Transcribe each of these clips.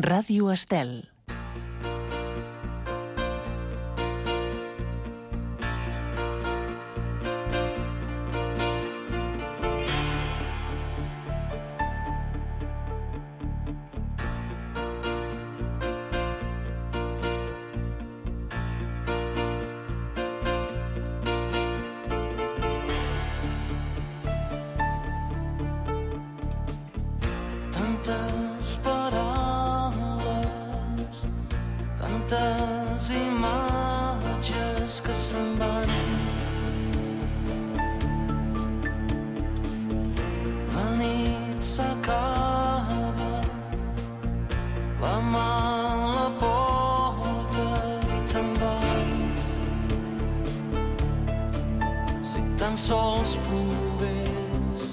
Ràdio Estel. Tantes imatges que se'n van. La nit s'acaba, la mà en la porta i te'n vas. Si tan sols pogués,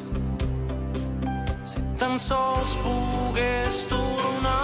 si tan sols pogués tornar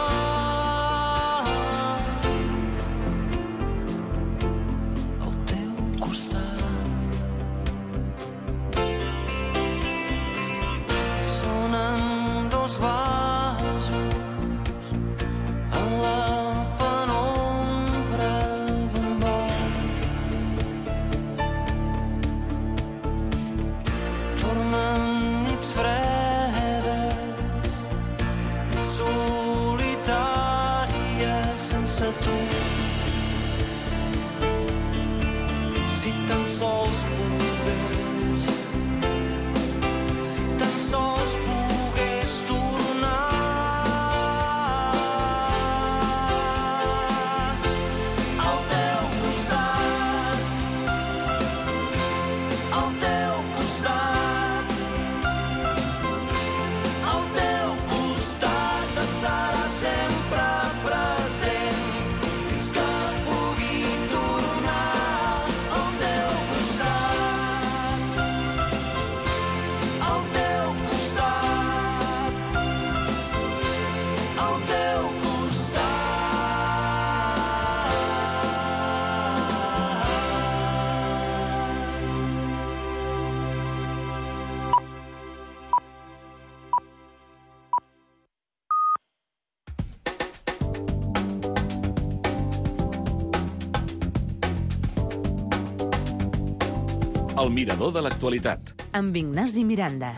El mirador de l'actualitat. Amb Ignasi Miranda.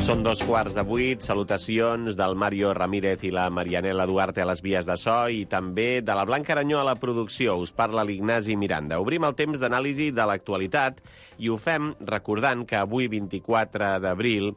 Són 7:15. Salutacions del Mario Ramírez i la Marianela Duarte a les vies de so i també de la Blanca Aranyó a la producció. Us parla l'Ignasi Miranda. Obrim el temps d'anàlisi de l'actualitat i ho fem recordant que avui, 24 d'abril,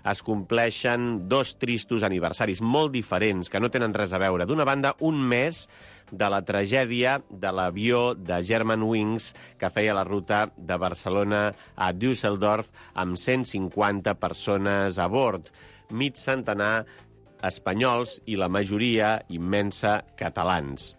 es compleixen 2 tristos aniversaris molt diferents que no tenen res a veure. D'una banda, un mes de la tragèdia de l'avió de Germanwings que feia la ruta de Barcelona a Düsseldorf amb 150 persones a bord, mig centenar espanyols i la majoria immensa catalans.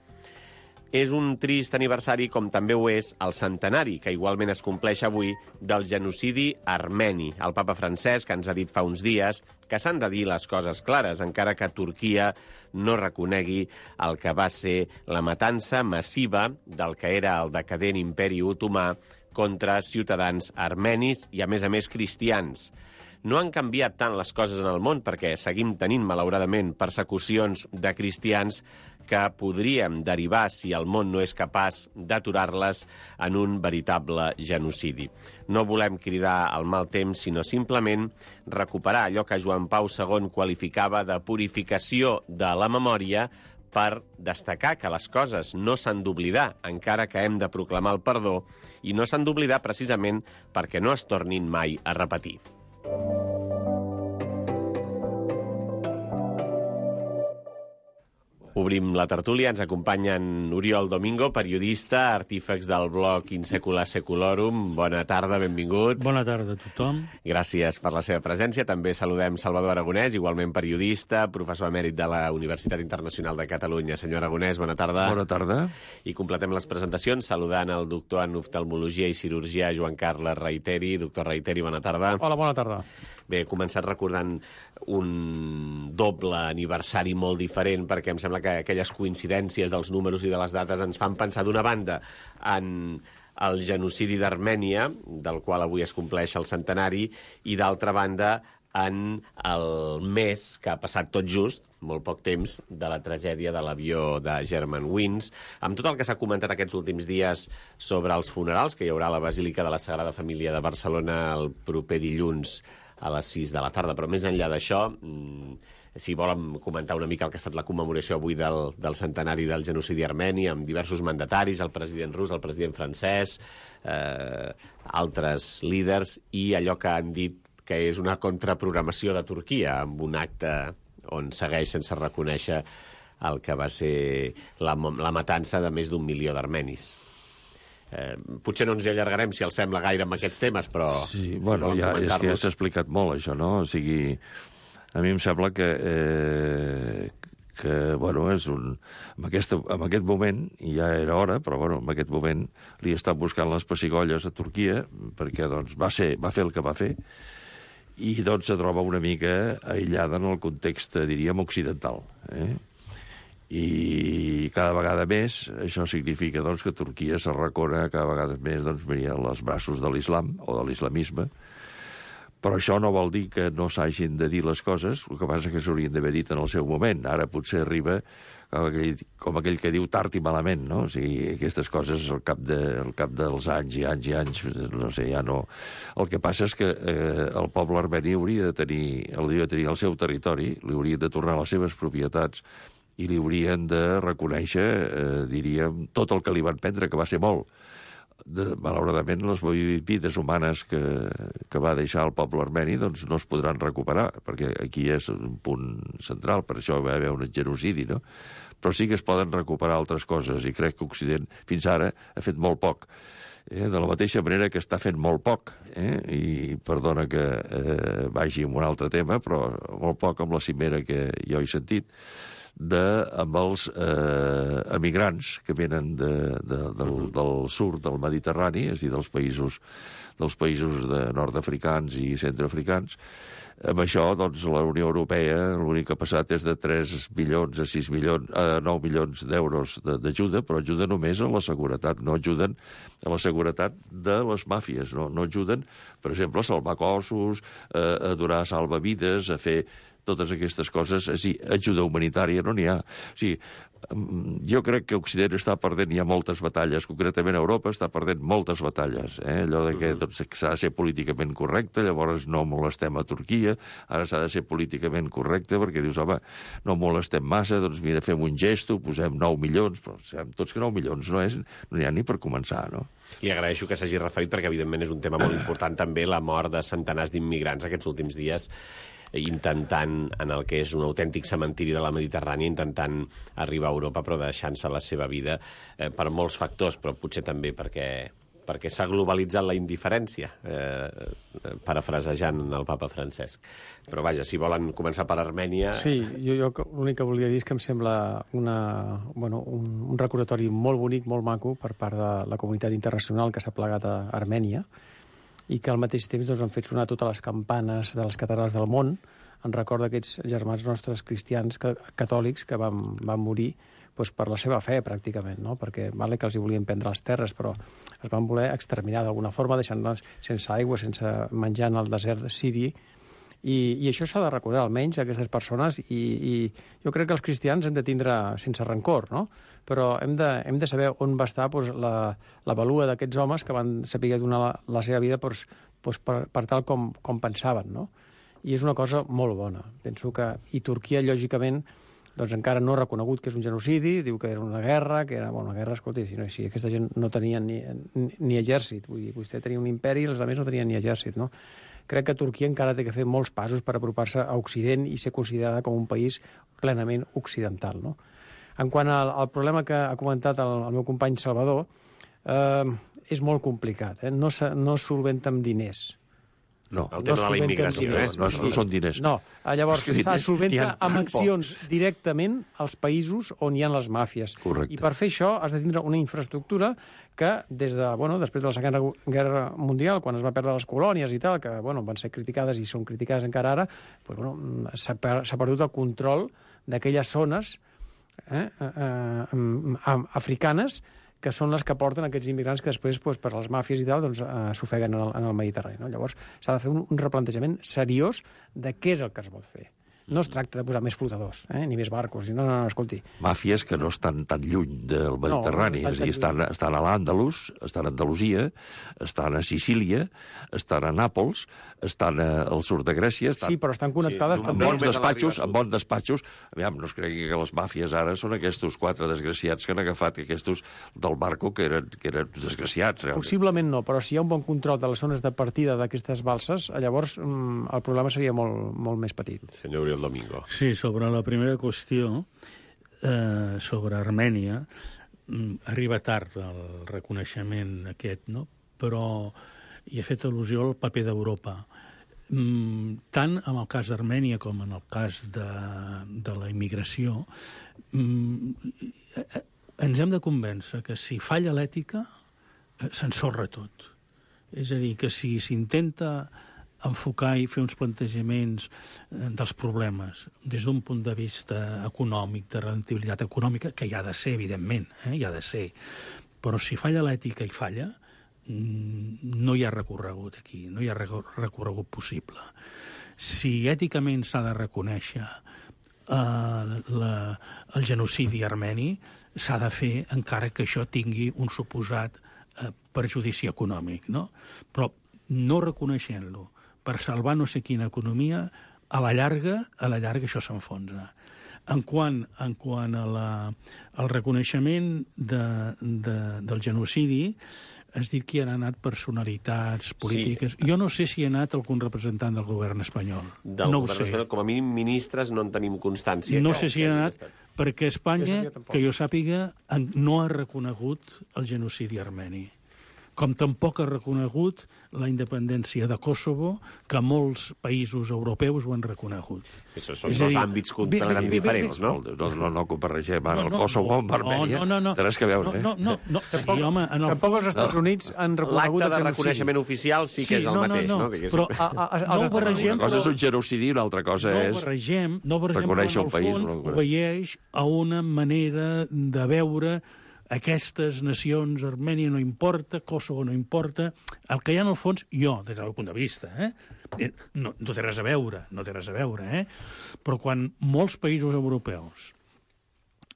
És un trist aniversari, com també ho és el centenari, que igualment es compleix avui, del genocidi armeni. El papa Francesc ens ha dit fa uns dies que s'han de dir les coses clares, encara que Turquia no reconegui el que va ser la matança massiva del que era el decadent imperi otomà contra ciutadans armenis i, a més, cristians. No han canviat tant les coses en el món perquè seguim tenint, malauradament, persecucions de cristians que podríem derivar, si el món no és capaç d'aturar-les, en un veritable genocidi. No volem cridar al mal temps, sinó simplement recuperar allò que Joan Pau II qualificava de purificació de la memòria per destacar que les coses no s'han d'oblidar, encara que hem de proclamar el perdó, i no s'han d'oblidar precisament perquè no es tornin mai a repetir. Obrim la tertúlia, ens acompanyen Oriol Domingo, periodista, artífex del blog In Secula Seculorum. Bona tarda, benvingut. Bona tarda a tothom. Gràcies per la seva presència. També saludem Salvador Aragonès, igualment periodista, professor emèrit de la Universitat Internacional de Catalunya. Senyor Aragonès, bona tarda. Bona tarda. I completem les presentacions saludant el doctor en oftalmologia i cirurgià Joan Carles Reiteri. Doctor Reiteri, bona tarda. Hola, bona tarda. Bé, he començat recordant un doble aniversari molt diferent, perquè em sembla que aquelles coincidències dels números i de les dates ens fan pensar d'una banda en el genocidi d'Armènia, del qual avui es compleix el centenari, i d'altra banda en el mes que ha passat tot just, molt poc temps, de la tragèdia de l'avió de Germanwings, amb tot el que s'ha comentat aquests últims dies sobre els funerals, que hi haurà a la Basílica de la Sagrada Família de Barcelona el proper dilluns a les 6 de la tarda. Però més enllà d'això, si volen comentar una mica el que ha estat la commemoració avui del centenari del genocidi armeni, amb diversos mandataris, el president rus, el president francès, altres líders, i allò que han dit que és una contraprogramació de Turquia, amb un acte on segueix sense reconèixer el que va ser la matança de més d'1 milió d'armenis. Potser no ens hi allargarem, si els sembla, gaire amb aquests temes, però... Sí, bueno, ja, és que ja s'ha explicat molt, això, no? O sigui, a mi em sembla que bueno, és un... En aquest moment, ja era hora, però bueno, en aquest moment li estan buscant les pessigolles a Turquia, perquè doncs, va fer el que va fer, i doncs se troba una mica aïllada en el context, diríem, occidental. I cada vegada més això significa doncs, que Turquia s'arracona cada vegada més doncs, als braços de l'islam o de l'islamisme. Però això no vol dir que no s'hagin de dir les coses, el que passa és que s'haurien d'haver dit en el seu moment. Ara potser arriba com aquell que diu tard i malament, no? O sigui, aquestes coses al cap dels anys i anys i anys, no sé, ja no... El que passa és que el poble armeni hauria de tenir el seu territori, li haurien de tornar les seves propietats i li haurien de reconèixer, diríem, tot el que li van prendre, que va ser molt. Malauradament, les vides humanes que va deixar el poble armeni doncs no es podran recuperar, perquè aquí és un punt central, per això va haver un genocidi, no? Però sí que es poden recuperar altres coses, i crec que Occident fins ara ha fet molt poc. De la mateixa manera que està fent molt poc, i perdona que vagi amb un altre tema, però molt poc amb la cimera que jo he sentit, amb els emigrants que venen del sud del Mediterrani, és a dir, dels països nord-africans i centroafricans. Amb això, doncs, la Unió Europea l'únic que ha passat és de 3 milions a 9 milions d'euros d'ajuda, però ajuda només a la seguretat, no ajuden a la seguretat de les màfies, no ajuden, per exemple, a salvar cossos, a donar salvavides, a fer totes aquestes coses. És a dir, ajuda humanitària no n'hi ha. O sigui, jo crec que Occident està perdent ja moltes batalles, concretament Europa està perdent moltes batalles. Allò de que s'ha de ser políticament correcte, llavors no molestem a Turquia, ara s'ha de ser políticament correcte, perquè dius, home, no molestem massa, doncs mira, fem un gesto, posem 9 milions, però sabem tots que 9 milions no n'hi ha ni per començar, no? I agraeixo que s'hagi referit, perquè evidentment és un tema molt important també, la mort de centenars d'immigrants aquests últims dies, intentant, en el que és un autèntic cementiri de la Mediterrània, intentant arribar a Europa, però deixant-se la seva vida per molts factors, però potser també perquè s'ha globalitzat la indiferència, parafrasejant el papa Francesc. Però vaja, si volen començar per Armènia... Sí, jo l'únic que volia dir és que em sembla un recordatori molt bonic, molt maco, per part de la comunitat internacional que s'ha plegat a Armènia, i que al mateix temps doncs, han fet sonar totes les campanes de les catedrals del món en record d'aquests germans nostres cristians catòlics que van morir doncs, per la seva fe, pràcticament, no? Perquè vale que els hi volien prendre les terres, però es van voler exterminar d'alguna forma, deixant-les sense aigua, sense menjar en el desert siri, i això s'ha de recordar, almenys, aquestes persones, i jo crec que els cristians hem de tindre sense rancor, no? Però hem de saber on va estar doncs, la valua d'aquests homes que van saber donar la seva vida per tal com pensaven, no? I és una cosa molt bona. Penso que... I Turquia, lògicament, doncs encara no ha reconegut que és un genocidi, diu que era una guerra, una guerra, escolti, si aquesta gent no tenia ni exèrcit, vull dir, vostè tenia un imperi i els altres no tenien ni exèrcit, no? Crec que Turquia encara té que fer molts passos per apropar-se a Occident i ser considerada com un país plenament occidental, no? En quant al problema que ha comentat el meu company Salvador, és molt complicat, no es solventa amb diners. No. El tema de la immigració, No són diners. No, llavors És que s'ha diners solventa n'hi ha amb tan accions directament als països on hi ha les màfies. Correcte. I per fer això has de tindre una infraestructura que després de la Segona Guerra Mundial, quan es va perdre les colònies i tal, que van ser criticades i són criticades encara ara, s'ha perdut el control d'aquelles zones africanes que són les que porten aquests immigrants que després, per les màfies i tal, s'ofeguen en el Mediterrani. No? Llavors, s'ha de fer un replantejament seriós de què és el que es vol fer. No es tracta de posar més flotadors, ni més barcos. No, escolti. Màfies que no estan tan lluny del Mediterrani. És a dir, estan a l'Àndalus, estan a Andalusia, estan a Sicília, estan a Nàpols, estan al sud de Grècia... Sí, però estan connectades també. Amb bons despatxos. Aviam, no es cregui que les màfies ara són aquests 4 desgraciats que han agafat aquests del barco que eren desgraciats. Realment. Possiblement no, però si hi ha un bon control de les zones de partida d'aquestes balses, llavors el problema seria molt, molt més petit. Senyor Oriol Domingo. Sí, sobre la primera qüestió, sobre Armènia, arriba tard el reconeixement aquest, no? Però hi ha fet al·lusió al paper d'Europa. Tant en el cas d'Armènia com en el cas de la immigració, ens hem de convèncer que si falla l'ètica, s'ensorra tot. És a dir, que si s'intenta enfocar i fer uns plantejaments dels problemes des d'un punt de vista econòmic, de rendibilitat econòmica, que hi ha de ser, evidentment, hi ha de ser, però si falla l'ètica i falla, no hi ha recorregut aquí, no hi ha recorregut possible. Si èticament s'ha de reconèixer el genocidi armeni, s'ha de fer encara que això tingui un suposat perjudici econòmic, no? Però no reconeixent-lo per salvar no sé quina economia, a la llarga això s'enfonsa. En quant al reconeixement del genocidi, has dit que hi han anat personalitats polítiques. Sí. Jo no sé si hi ha anat algun representant del govern espanyol. No ho sé. Com a mínim ministres no en tenim constància. No sé si hi ha anat, perquè Espanya, que jo sàpiga, no ha reconegut el genocidi armeni. Com tampoc ha reconegut la independència de Kosovo, que molts països europeus ho han reconegut. Això són dos àmbits completament diferents, no? No comparregem ara el Kosovo amb Armènia. No. Té res que veure, No. Tampoc els Estats Units han reconegut l'acte de reconeixement oficial sí que és el mateix, no? Però no barregem... Una cosa és un genocidi, una altra cosa és... No barregem, però en el fons obeeix a una manera de veure aquestes nacions, Armènia no importa, Kosovo no importa, el que hi ha en el fons, jo, des del meu punt de vista, no té res a veure, però quan molts països europeus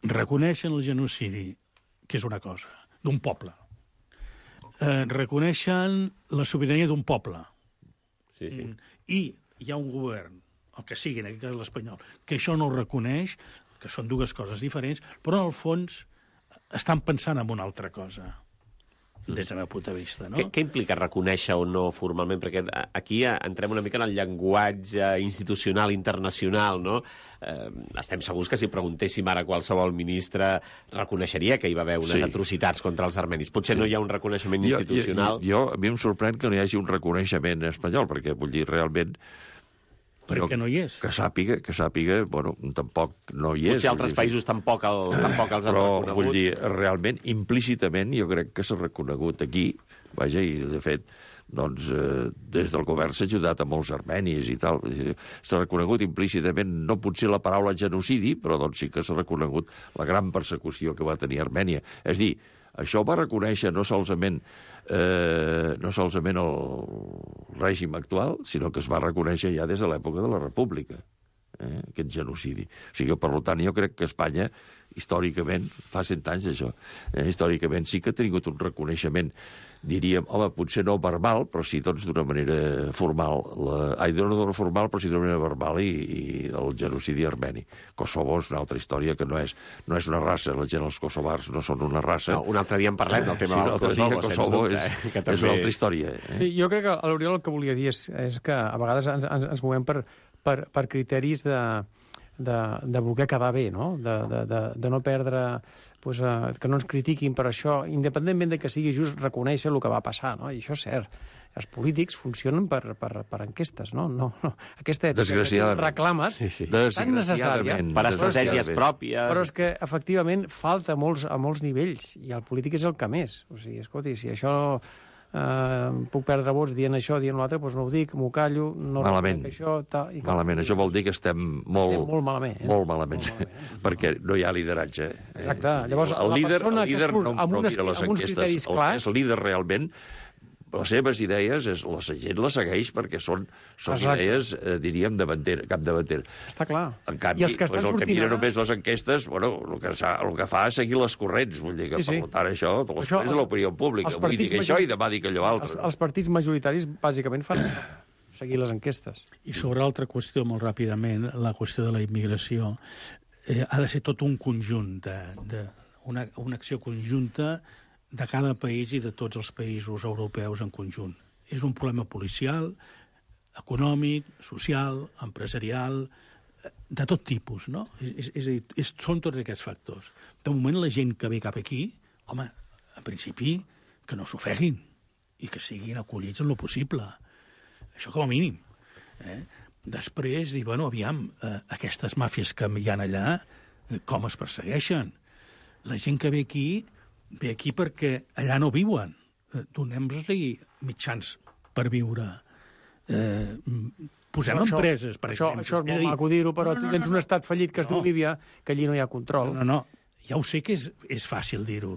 reconeixen el genocidi, que és una cosa, d'un poble, reconeixen la sobirania d'un poble, i hi ha un govern, el que sigui, en aquest cas l'espanyol, que això no ho reconeix, que són dues coses diferents, però en el fons estan pensant en una altra cosa, des del meu punt de vista, no? Què implica reconèixer o no formalment? Perquè aquí entrem una mica en el llenguatge institucional internacional, no? Estem segurs que si preguntéssim ara a qualsevol ministre reconeixeria que hi va haver unes atrocitats contra els armenis. Potser no hi ha un reconeixement institucional. A mi em sorprèn que no hi hagi un reconeixement espanyol, perquè vull dir, realment... Perquè no hi és. Que sàpiga, tampoc no hi és. Potser altres països tampoc els han reconegut. Però, vull dir, realment, implícitament, jo crec que s'ha reconegut aquí, vaja, i de fet, doncs, des del govern s'ha ajudat a molts armenis i tal. S'ha reconegut implícitament, no potser la paraula genocidi, però doncs sí que s'ha reconegut la gran persecució que va tenir Armènia. És a dir, això va reconèixer no solament el règim actual, sinó que es va reconèixer ja des de l'època de la República, aquest genocidi. O sigui, per tant, jo crec que Espanya, històricament, fa 100 anys d'això, històricament sí que ha tingut un reconeixement, diríem, home, potser no verbal, però sí, doncs, d'una manera formal, no formal, però sí d'una manera verbal, i el genocidi armeni. Kosovo és una altra història que no és una raça, la gent, els kosovars, no són una raça. No, un altre dia en parlem del tema del Kosovo, és una altra història. Sí, jo crec que l'Oriol el que volia dir és que a vegades ens movem per criteris de voler quedar bé, no? De no perdre... Pues, que no ens critiquin per això, independentment de que sigui just reconèixer el que va passar, no? I això és cert. Els polítics funcionen per enquestes, no? Aquesta ètica que reclames tan necessària. Per estratègies pròpies. Però és que, efectivament, falta a molts nivells, i el polític és el que més. O sigui, escolti, si això... puc perdre vots dient això, dient l'altre, doncs no ho dic, m'ho callo, no malament. Això... Malament, això vol dir que estem molt malament. Molt malament, perquè no hi ha lideratge. Exacte. Llavors, el líder que no amb uns criteris clars... És el líder realment, les seves idees, la gent les segueix perquè són idees, diríem, capdavantera. Està clar. En canvi, el que mira només les enquestes, el que fa és seguir les corrents. Vull dir que, per tant, això és l'opinió pública. Avui dic això i demà dic allò altre. Els partits majoritaris, bàsicament, fan això, seguir les enquestes. I sobre l'altra qüestió, molt ràpidament, la qüestió de la immigració, ha de ser tot un conjunt, una acció conjunta de cada país i de tots els països europeus en conjunt. És un problema policial, econòmic, social, empresarial, de tot tipus, no? És a dir, són tots aquests factors. De moment, la gent que ve cap aquí, home, en principi, que no s'ofeguin i que siguin acollits en lo possible. Això com a mínim. Després, dir, bueno, aviam, aquestes màfies que hi ha allà, com es persegueixen? La gent que ve aquí perquè allà no viuen. Donem-los-li mitjans per viure. Posem empreses, per exemple. Això és molt maco dir-ho, però tu tens un estat fallit que es diu Líbia, que allí no hi ha control. No, ja ho sé que és fàcil dir-ho.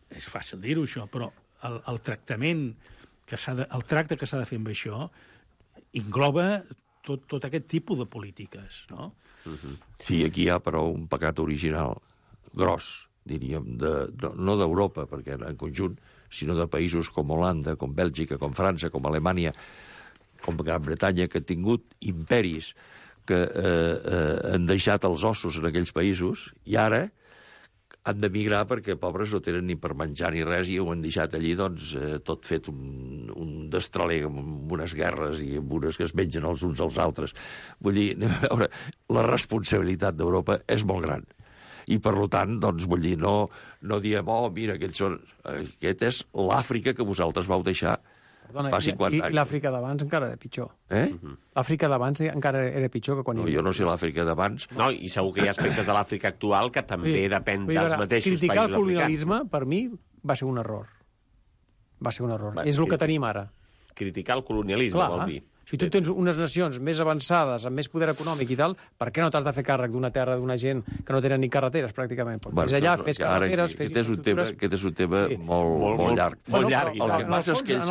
És fàcil dir-ho, això, però el tracte que s'ha de fer amb això engloba tot aquest tipus de polítiques, no? Sí, aquí hi ha, però, un pecat original gros, diríem, no d'Europa, perquè en conjunt, sinó de països com Holanda, com Bèlgica, com França, com Alemanya, com Gran Bretanya, que han tingut imperis que han deixat els ossos en aquells països, i ara han d'emigrar perquè, pobres, no tenen ni per menjar ni res, i ho han deixat allí, doncs, tot fet un destraler amb unes guerres i amb unes que es mengen els uns als altres. Vull dir, a veure, la responsabilitat d'Europa és molt gran. I, per tant, doncs, vull dir, no diem, mira, aquest és l'Àfrica que vosaltres vau deixar fa 50 anys. I l'Àfrica d'abans encara era pitjor. L'Àfrica d'abans encara era pitjor que quan... No, jo no sé l'Àfrica d'abans. No, i segur que hi ha aspectes de l'Àfrica actual que també depèn dels mateixos països africans. Criticar el colonialisme, per mi, va ser un error. Va ser un error. És el que tenim ara. Criticar el colonialisme, vol dir. Si tu tens unes nacions més avançades, amb més poder econòmic i tal, per què no t'has de fer càrrec d'una terra d'una gent que no tenen ni carreteres, pràcticament? Fes allà, fes carreteres, fes infraestructures... Aquest és un tema molt llarg. Molt llarg. El que passa és que ells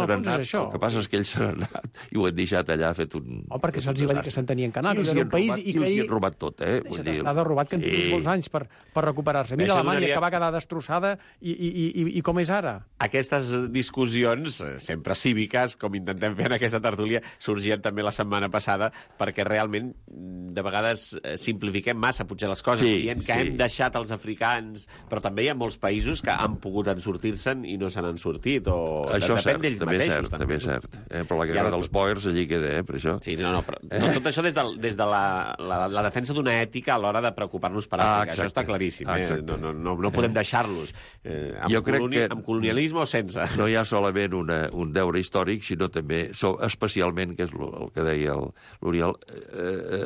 se n'han anat i ho han deixat allà fet un... perquè se'ls va dir que se'n tenien que anar, que era un país... I els hi han robat tot, S'ha robat, que han tingut molts anys per recuperar-se. Mira Alemanya, que va quedar destrossada, i com és ara? Aquestes discussions, sempre cíviques, com intentem fer en aquesta tertúlia, sorgien també la setmana passada, perquè realment de vegades simplifiquem massa potser les coses, dient que hem deixat els africans, però també hi ha molts països que han pogut sortir-se'n i no se n'han sortit, o depèn d'ells mateixos. També és cert. Però la guerra dels boers allí queda, per això. Sí, però tot això des de la defensa d'una ètica a l'hora de preocupar-nos per Àfrica. Això està claríssim. No podem deixar-los amb colonialisme o sense. No hi ha solament un deure històric, sinó també, especialment, que és el que deia l'Oriol,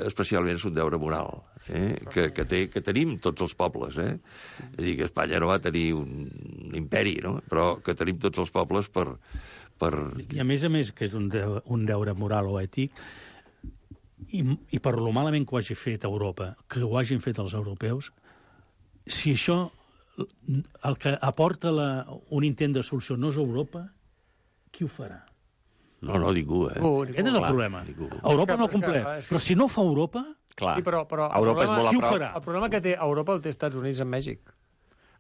especialment és un deure moral, que tenim tots els pobles. És a dir, que Espanya no va tenir un imperi, no? Però que tenim tots els pobles per... I a més, que és un deure moral o ètic, i per lo malament que ho hagi fet Europa, que ho hagin fet els europeus, si això, el que aporta un intent de solució no és Europa, qui ho farà? No, ningú, Aquest és el problema. Europa no compleix. Però si no fa Europa... Clar, sí, però Europa és molt a prop. El problema que té Europa el té Estats Units amb Mèxic.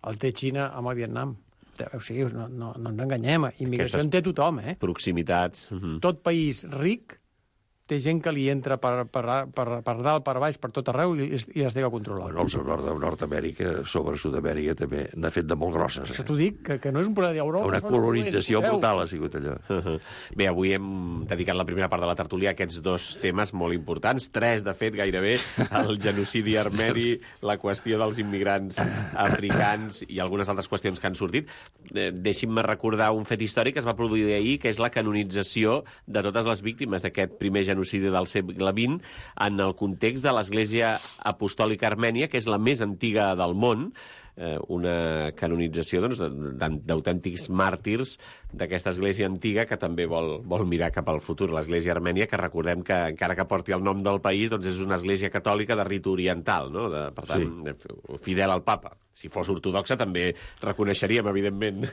El té Xina amb el Vietnam. O sigui, no ens enganyem. Immigració en té tothom, Proximitats. Tot país ric té gent que li entra per dalt, per baix, per tot arreu i les té que controlar. Bueno, el Nord-Amèrica, sobre Sud-amèrica, també n'ha fet de molt grosses. Això t'ho dic, que no és un problema d'Europa. Una colonització brutal ha sigut allò. Bé, avui hem dedicat la primera part de la tertúlia a aquests dos temes molt importants, tres, de fet, gairebé, el genocidi armeni, la qüestió dels immigrants africans i algunes altres qüestions que han sortit. Deixi'm recordar un fet històric que es va produir ahir, que és la canonització de totes les víctimes d'aquest primer genocidi del segle XX en el context de l'Església Apostòlica Armènia, que és la més antiga del món, una canonització d'autèntics màrtirs d'aquesta església antiga que també vol mirar cap al futur. L'església armènia, que recordem que, encara que porti el nom del país, doncs és una església catòlica de ritu oriental, no? Per tant, fidel al papa. Si fos ortodoxa també reconeixeríem, evidentment,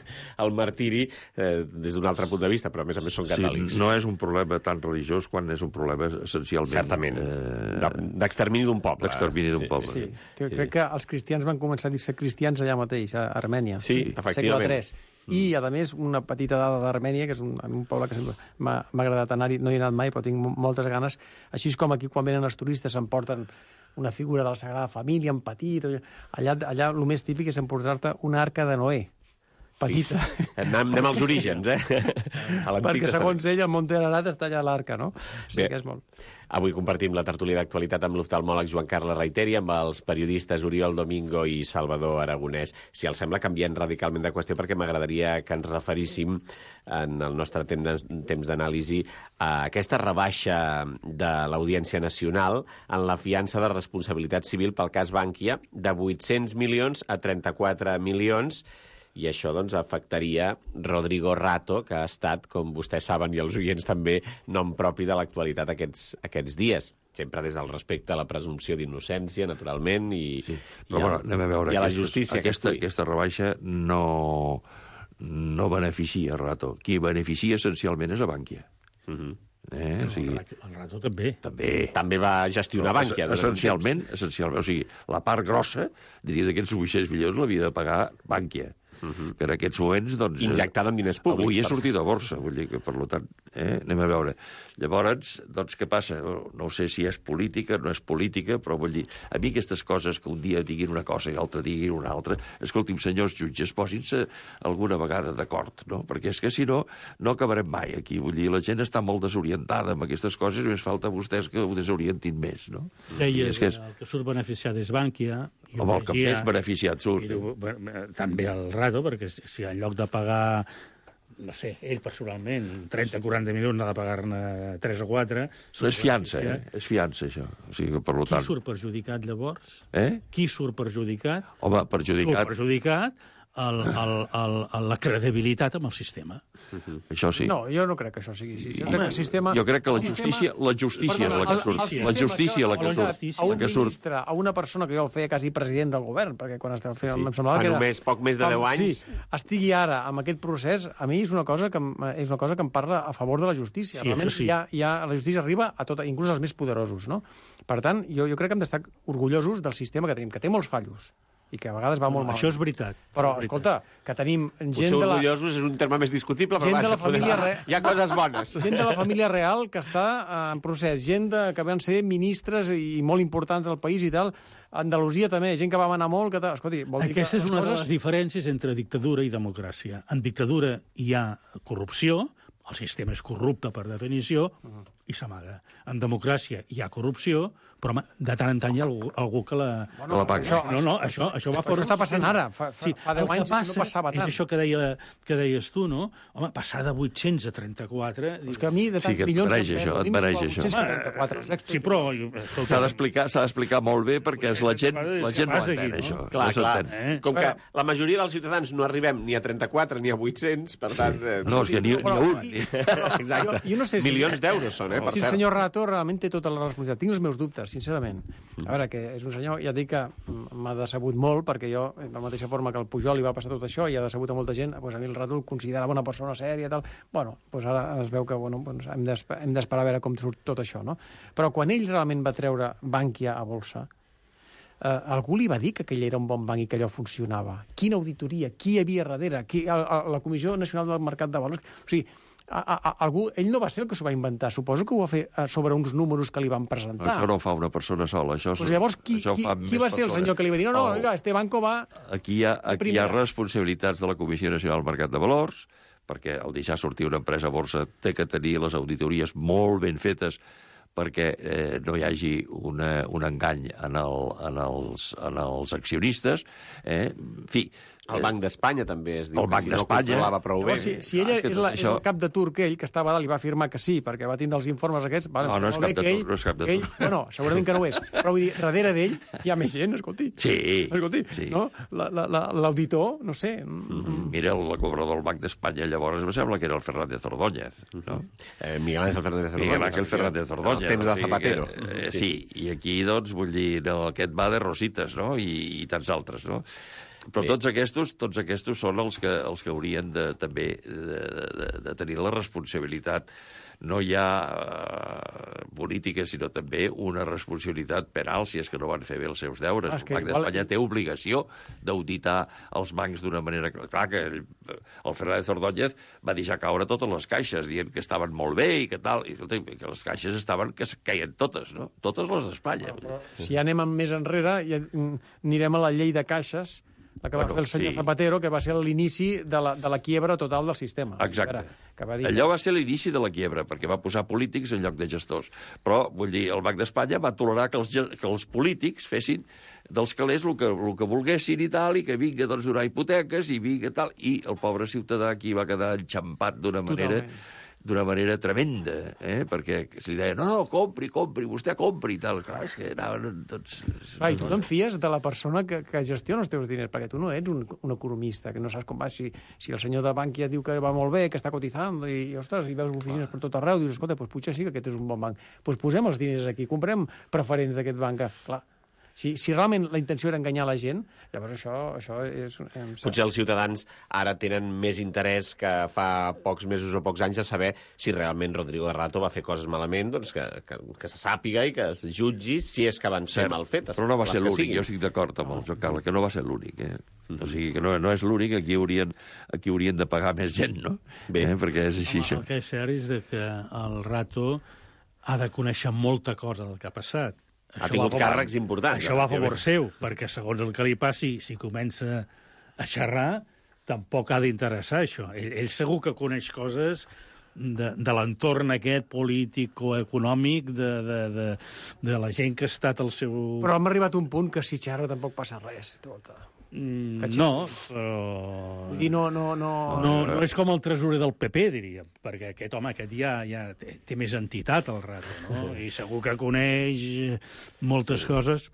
el martiri des d'un altre punt de vista, però a més són catòlics. Sí, no és un problema tan religiós quan és un problema essencialment... Certament, d'extermini d'un poble. D'extermini d'un poble. Sí. Crec que els cristians van començar a dir-se cristians allà mateix, a Armènia. Sí, efectivament. Segle III. I, a més, una petita dada d'Armènia, que és un poble que sempre m'ha agradat anar-hi, no hi he anat mai, però tinc moltes ganes. Així com aquí, quan venen els turistes, s'emporten una figura de la Sagrada Família en petit. Allà el més típic és emportar-te una arca de Noé, petita. Anem als orígens, Perquè, segons ell, el Monte Ararat està allà a l'arca, no? O sigui que és molt... Avui compartim la tertúlia d'actualitat amb l'oftalmòleg Joan Carles Reiteri, amb els periodistes Oriol Domingo i Salvador Aragonès. Si els sembla, canviant radicalment de qüestió, perquè m'agradaria que ens referíssim en el nostre temps d'anàlisi a aquesta rebaixa de l'Audiència Nacional en la fiança de responsabilitat civil pel cas Bankia de 800 milions a 34 milions, i això doncs, afectaria Rodrigo Rato, que ha estat, com vostès saben, i els oients també, nom propi de l'actualitat aquests dies. Sempre des del respecte a la presumpció d'innocència, naturalment, Però anem a veure, i a la justícia. Aquesta rebaixa no beneficia Rato. Qui beneficia essencialment és a Bankia. O sigui, el Rato també. També va gestionar Bankia. Essencialment, o sigui, la part grossa, diria, d'aquests 800 milions l'havia de pagar Bankia. Que en aquests moments, doncs... Injectada en diners públics. Avui he sortit a borsa, vull dir que, per tant, anem a veure. Llavors, doncs, què passa? No sé si és política, no és política, però vull dir, a mi aquestes coses que un dia diguin una cosa i l'altre diguin una altra, escolti'm, senyors jutges, posin-se alguna vegada d'acord, no? Perquè és que, si no, no acabarem mai aquí. Vull dir, la gent està molt desorientada amb aquestes coses i més falta vostès que ho desorientin més, no? Deies que el que surt beneficiat és Bankia. Home, el que més beneficiat surt. També el Rato, perquè si en lloc de pagar, no sé, ell personalment, 30-40 milions, n'ha de pagar-ne 3 o 4... No és fiança, És fiança, això. O sigui, per tant... Qui surt perjudicat, llavors? Qui surt perjudicat? Home, perjudicat... Surt perjudicat la credibilitat amb el sistema. Això sí. No, jo no crec que això sigui així. Jo crec que la justícia és la que surt. La justícia és la que surt. A un ministre, a una persona que jo el feia quasi president del govern, perquè quan estava fent... Em semblava que era... Poc més de 10 anys. Sí, estigui ara amb aquest procés, a mi és una cosa que em parla a favor de la justícia. Realment, la justícia arriba a tot, inclús als més poderosos, no? Per tant, jo crec que hem d'estar orgullosos del sistema que tenim, que té molts fallos, i que a vegades va molt mal. Això és veritat. Però, escolta, que tenim gent de la... orgullosos és un terme més discutible, però de la família hi ha coses bones. Gent de la família real que està en procés, gent que van ser ministres i molt importants del país i tal. Andalusia també, gent que va manar molt... Escolti, vol dir aquesta és una de les diferències entre dictadura i democràcia. En dictadura hi ha corrupció, el sistema és corrupte per definició, i s'amaga. En democràcia hi ha corrupció, però de tant en tant hi ha algú que la paga. Això va fora. Això està passant ara. Fa 10 anys no passava tant. És això que deies tu, no? Home, passar de 800 a 34... És que a mi de tants milions... Et mereix això. Sí, però... S'ha d'explicar molt bé perquè la gent no entén, això. Clar. Com que la majoria dels ciutadans no arribem ni a 34 ni a 800, per tant... No, és que ni a un. Exacte. Milions d'euros són, per cert. Si el senyor Rato realment té tota la responsabilitat. Tinc els meus dubtes, sincerament. A veure, que és un senyor, ja dic que m'ha decebut molt, perquè jo, de la mateixa forma que el Pujol li va passar tot això i ha decebut a molta gent, doncs a mi el Rato el considerava una persona sèria i tal. Bueno, doncs ara es veu que hem d'esperar a veure com surt tot això, no? Però quan ell realment va treure Bankia a bolsa, algú li va dir que aquell era un bon banc i que allò funcionava? Quina auditoria? Qui hi havia darrere? La Comissió Nacional del Mercat de Valors? O sigui, ell no va ser el que s'ho va inventar. Suposo que ho va fer sobre uns números que li van presentar. Això no ho fa una persona sola. Llavors, qui va ser el senyor que li va dir no, oiga, este banco va... Aquí hi ha responsabilitats de la Comissió Nacional del Mercat de Valors, perquè al deixar sortir una empresa a borsa té que tenir les auditories molt ben fetes perquè no hi hagi un engany en els accionistes. En fi... El Banc d'Espanya també es diu el Banc que si no d'Espanya controlava prou bé. Si ella és el cap de turc, ell, que estava dalt, li va afirmar que sí, perquè va tindre els informes aquests... No és cap de turc, no és cap de turc. No, segurament que no ho és. Però vull dir, darrere d'ell hi ha més gent, escolti. Sí. Escolti, no? L'auditor, no sé... Mira, el cobrador del Banc d'Espanya llavors em sembla que era el Fernández Ordóñez, no? Miguel Ángel Fernández Ordóñez. Miguel Ángel Fernández Ordóñez. Els temps de Zapatero. Sí, i aquí, doncs, vull dir, aquest va de Rositas, no? I tants altres, no? Però tots aquests són els que haurien també de tenir la responsabilitat. No hi ha política, sinó també una responsabilitat penal si és que no van fer bé els seus deures. El Banc d'Espanya té obligació d'auditar els bancs d'una manera... Clar que el Fernández Ordóñez va deixar caure totes les caixes, dient que estaven molt bé i que tal, i que les caixes que caien totes, no? Totes les d'Espanya. Però si anem més enrere, anirem a la llei de caixes, la que va fer el senyor Zapatero, que va ser l'inici de la quiebra total del sistema. Exacte. Allò va ser l'inici de la quiebra, perquè va posar polítics en lloc de gestors. Però, vull dir, el Banc d'Espanya va tolerar que els polítics fessin dels calés el que volguessin i tal, i que vinga doncs, donar hipoteques, i vinga tal, i el pobre ciutadà aquí va quedar enxampat d'una manera tremenda, perquè se li deia, no, compri, vostè compri, i tal. Clar, és que anaven tots... Clar, i tu te'n fies de la persona que gestiona els teus diners, perquè tu no ets un economista, que no saps com va. Si el senyor de Bankia diu que va molt bé, que està cotitzant, i ostres, i veus oficines per tot arreu, dius, escolta, doncs potser sí que aquest és un bon banc. Doncs posem els diners aquí, comprem preferents d'aquest banc. Clar, si realment la intenció era enganyar la gent, llavors això és... Potser els ciutadans ara tenen més interès que fa pocs mesos o pocs anys a saber si realment Rodrigo de Rato va fer coses malament, doncs que se sàpiga i que es jutgi si és que van ser mal fetes. Però no va ser l'únic, jo estic d'acord amb el Joan Carles, que no va ser l'únic. O sigui, que no és l'únic, aquí haurien de pagar més gent, no? Bé. Perquè és així. El que és cert és que el Rato ha de conèixer molta cosa del que ha passat. Ha tingut càrrecs importants. Això va a favor seu, perquè segons el que li passi, si comença a xerrar, tampoc ha d'interessar això. Ell segur que coneix coses de l'entorn aquest polític-econòmic, de la gent que ha estat al seu... Però hem arribat a un punt que si xerra tampoc passa res. No, però... Vull dir, no és com el tresorer del PP, diríem, perquè aquest home ja té més entitat al Rato, no? I segur que coneix moltes coses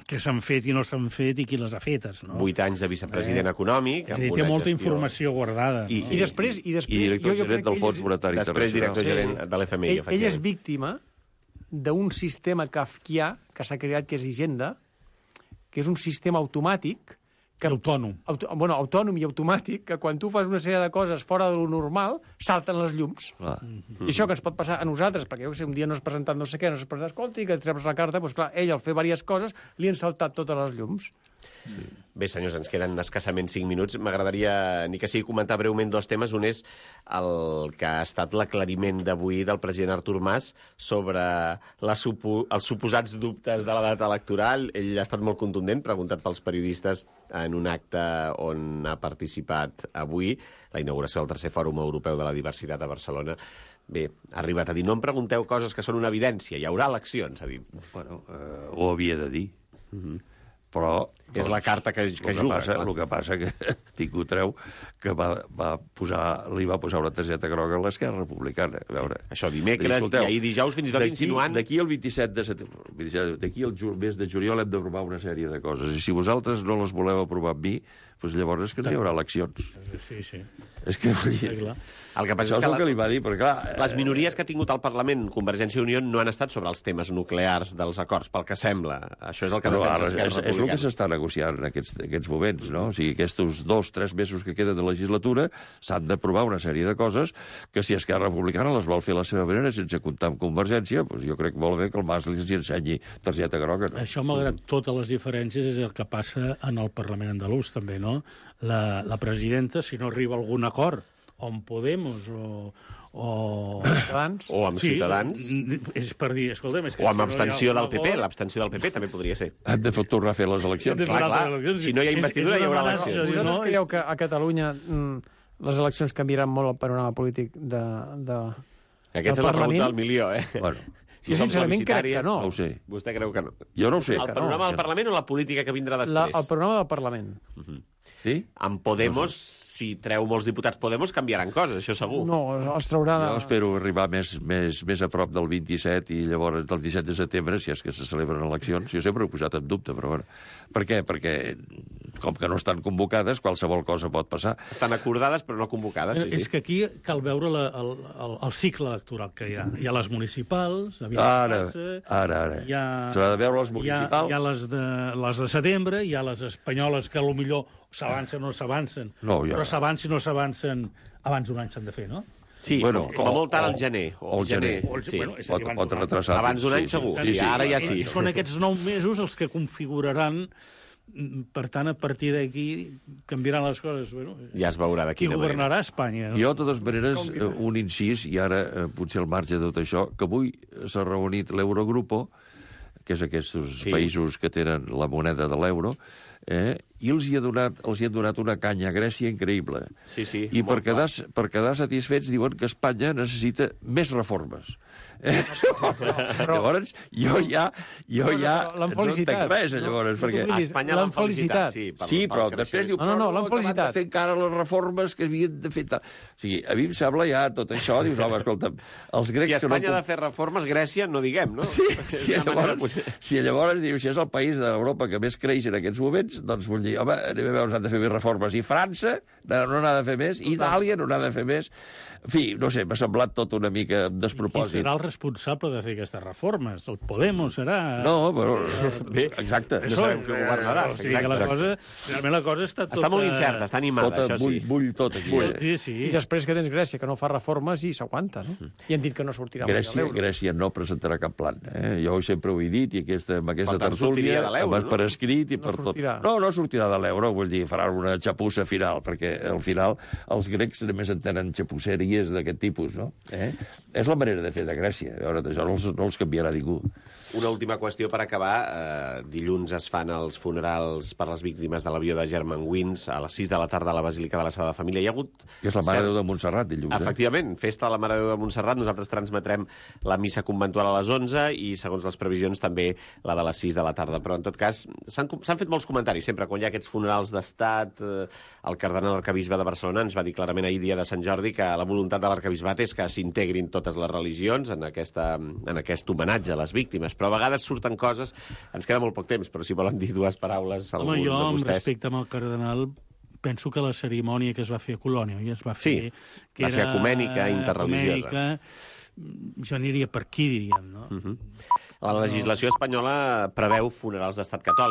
que s'han fet i no s'han fet i qui les ha fetes, no? 8 anys de vicepresident econòmic. Té molta informació guardada. I després... I director gerent del Fons Monetari Internacional. Després director gerent de l'FMI. Ell és víctima d'un sistema kafkià que s'ha creat, que és Hisenda, que és un sistema automàtic autònom. Autònom i automàtic, que quan tu fas una sèrie de coses fora de lo normal, salten les llums. I això que ens pot passar a nosaltres, perquè un dia no has presentat no sé què, no has presentat, escolta, i que et treus la carta, doncs clar, ell al fer diverses coses li han saltat totes les llums. Bé, senyors, ens queden escassament 5 minuts. M'agradaria, ni que sigui, comentar breument 2 temes. Un és el que ha estat l'aclariment d'avui del president Artur Mas sobre els suposats dubtes de la data electoral. Ell ha estat molt contundent, preguntat pels periodistes en un acte on ha participat avui, la inauguració del 3è Fòrum Europeu de la Diversitat a Barcelona. Bé, ha arribat a dir, no em pregunteu coses que són una evidència, hi haurà eleccions, ha dit. Bueno, ho havia de dir. Però... És la carta que juga. El que passa que Tico treu que li va posar una targeta groga a l'Esquerra Republicana. A veure, això dimecres i ahir dijous fins i tot insinuant... D'aquí el 27 de setembre, d'aquí el mes de juliol hem d'aprovar una sèrie de coses. I si vosaltres no les voleu aprovar amb mi, doncs llavors és que no hi haurà eleccions. Sí, sí. És que, vull dir, Clar. El que passa això és és que el que li va dir, perquè clar... les minories que ha tingut al Parlament Convergència i Unió no han estat sobre els temes nuclears dels acords, pel que sembla. Això és el que Però defensa ara Esquerra és el que Republicana. s'està negociant en aquests moments, no? O sigui, aquests 2-3 mesos que queden de legislatura s'han d'aprovar una sèrie de coses que si Esquerra Republicana les vol fer a la seva manera sense comptar amb Convergència, doncs jo crec molt bé que el Mas li ensenyi targeta groga. No? Això, malgrat totes les diferències, és el que passa en el Parlament andalús, també, no? La presidenta, si no arriba a algun acord, o amb Podemos o Ciutadans. O amb Ciutadans. És per dir, escolta'm... És que O amb si no hi ha abstenció un del PP. acord- L'abstenció del PP també podria ser. Han de tornar a fer les eleccions. Hem de fer Clar, altres clar. eleccions. Si no hi ha investidura, És hi haurà una eleccions. amenaça, Vosaltres no? creieu que a Catalunya les eleccions canviaran molt el panorama polític de Aquesta és la Parlament? pregunta del milió, eh? Bueno, Jo sincerament crec que no. no ho sé. Vostè creu que no? Jo no ho sé. El panorama del Parlament o la política que vindrà després? El programa del Parlament. Sí? Amb Podemos, si treu molts diputats Podemos, canviaran coses, això segur. No, els traurà de... Jo espero arribar més a prop del 27 i llavors del 17 de setembre, si és que se celebren eleccions. Jo sempre ho he posat en dubte, però bueno. Per què? Perquè, com que no estan convocades, qualsevol cosa pot passar. Estan acordades, però no convocades, sí, És sí. que aquí cal veure el cicle electoral que hi ha. Hi ha les municipals, aviat Ara. passa, hi ha... S'haurà de veure les municipals. Hi ha les de setembre, hi ha les espanyoles que potser s'avancen o no s'avancen, No, ja. però s'avancen o no s'avancen abans d'un any s'han de fer, no? Sí, Bueno, com a molt tard o- al gener. o al gener. Sí. Bueno, és a dir, abans Pot d'un any. retrasar. Abans d'un any segur. Sí, ara ja sí. Són aquests 9 mesos els que configuraran, per tant, a partir d'aquí canviaran les coses. Bueno, Ja es veurà de qui quina manera. governarà Espanya? No? Jo, de totes maneres, un incís, i ara potser al marge de tot això, que avui s'ha reunit l'Eurogrupo, que és aquests països que tenen la moneda de l'euro, i els hi han donat una canya a Grècia increïble. Sí, sí, I per molt quedar satisfets diuen que Espanya necessita més reformes. Llavors, jo ja l'han no entenc felicitat. res, llavors, perquè... A Espanya l'han felicitat, sí. Sí, però després diu, No, però l'han acabat de felicitat. fer encara les reformes que havien de fer... O sigui, a mi em sembla ja tot això, dius, home, escolta'm, els grecs... Si que no Espanya ha de fer reformes, Grècia no diguem, no? si llavors diu, si és el país d'Europa que més creix en aquests moments, doncs vull dir, home, anem a veure, s'han de fer més reformes. I França no n'ha de fer més, i Itàlia no n'ha de fer més. En fi, no sé, m'ha semblat tot una mica Qui despropòsit. serà el responsable de fer aquestes reformes? El Podemos serà... No, però... Bé, exacte. No sabem qui governarà. O sigui que la cosa, realment la cosa està tota... Està molt incerta, està animada, Tota, això sí. bull tot aquí. Sí, sí. I després que tens Grècia, que no fa reformes, i s'aguanta, no? I han dit que no sortirà mai de l'euro. Grècia no presentarà cap plan. Jo sempre ho he dit, i amb aquesta Per tant, sortiria tertúlia, de l'euro, per escrit i No per tot. sortirà. No sortirà de l'euro, vull dir, farà una xapussa final, perquè al final els grecs només entenen xapusseries d'aquest tipus, no? És la manera de fer de Grècia. A veure, això no els canviarà ningú. Una última qüestió per acabar. Dilluns es fan els funerals per les víctimes de l'avió de Germanwings a les 6 de la tarda a la Basílica de la Sagrada Família. Hi ha hagut... Que és la Mare de Déu de Montserrat, dilluns. Efectivament, festa de la Mare de Déu de Montserrat. Nosaltres transmetrem la missa conventual a les 11 i, segons les previsions, també la de les 6 de la tarda. Però, en tot cas, s'han fet molts comentaris sempre. Quan hi ha aquests funerals d'estat, el cardenal arcabisbe de Barcelona ens va dir clarament ahir, dia de Sant Jordi, que la voluntat de l'arcabisbat és que s'integrin totes les religions en aquest homenatge a les víctimes. Però a vegades surten coses... Ens queda molt poc temps, però si volen dir dues paraules algun Home, jo, de amb vostès... respecte amb el cardenal, penso que la cerimònia que es va fer a Colònia i es va fer... Sí, que va ser era ecumènica, interreligiosa. ecumènica, jo aniria per aquí, diríem, no? La legislació espanyola preveu funerals d'estat catòlic.